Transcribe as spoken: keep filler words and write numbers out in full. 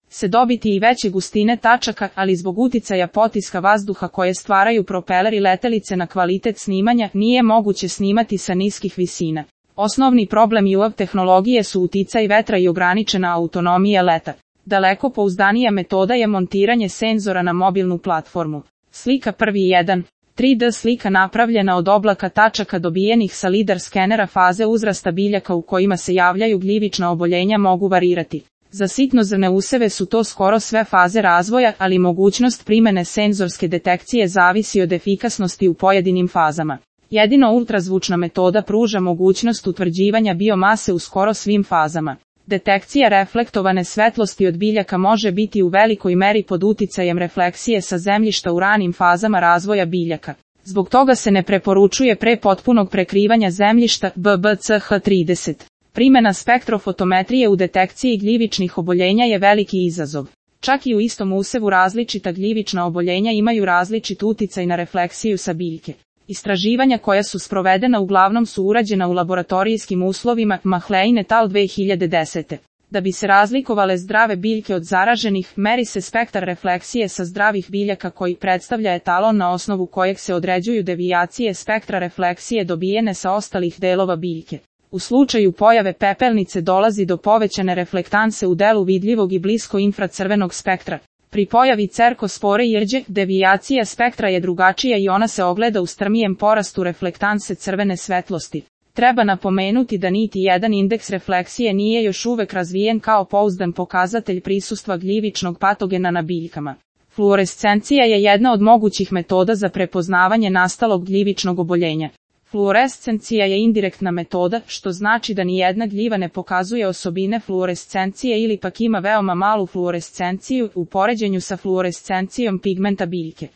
se dobiti i veće gustine tačaka, ali zbog uticaja potiska vazduha koje stvaraju propeleri letelice na kvalitet snimanja, nije moguće snimati sa niskih visina. Osnovni problem U A V tehnologije su uticaj vetra i ograničena autonomija leta. Daleko pouzdanija metoda je montiranje senzora na mobilnu platformu. Slika prvi jedan. tri D slika napravljena od oblaka tačaka dobijenih sa lidar skenera faze uzrasta biljaka u kojima se javljaju gljivična oboljenja mogu varirati. Za sitnozrne useve su to skoro sve faze razvoja, ali mogućnost primjene senzorske detekcije zavisi od efikasnosti u pojedinim fazama. Jedino ultrazvučna metoda pruža mogućnost utvrđivanja biomase u skoro svim fazama. Detekcija reflektovane svetlosti od biljaka može biti u velikoj meri pod uticajem refleksije sa zemljišta u ranim fazama razvoja biljaka. Zbog toga se ne preporučuje pre potpunog prekrivanja zemljišta B B C H trideset. Primjena spektrofotometrije u detekciji gljivičnih oboljenja je veliki izazov. Čak i u istom usevu različita gljivična oboljenja imaju različit uticaj na refleksiju sa biljke. Istraživanja koja su sprovedena uglavnom su urađena u laboratorijskim uslovima, Mahlein et al. dve hiljade desete. Da bi se razlikovale zdrave biljke od zaraženih, meri se spektar refleksije sa zdravih biljaka koji predstavlja etalon na osnovu kojeg se određuju devijacije spektra refleksije dobijene sa ostalih delova biljke. U slučaju pojave pepelnice dolazi do povećane reflektanse u delu vidljivog i blisko infracrvenog spektra. Pri pojavi cerkospore i rđe, devijacija spektra je drugačija i ona se ogleda u strmijem porastu reflektanse crvene svetlosti. Treba napomenuti da niti jedan indeks refleksije nije još uvek razvijen kao pouzdan pokazatelj prisustva gljivičnog patogena na biljkama. Fluorescencija je jedna od mogućih metoda za prepoznavanje nastalog gljivičnog oboljenja. Fluorescencija je indirektna metoda, što znači da nijedna gljiva ne pokazuje osobine fluorescencije ili pak ima veoma malu fluorescenciju u poređenju sa fluorescencijom pigmenta biljke.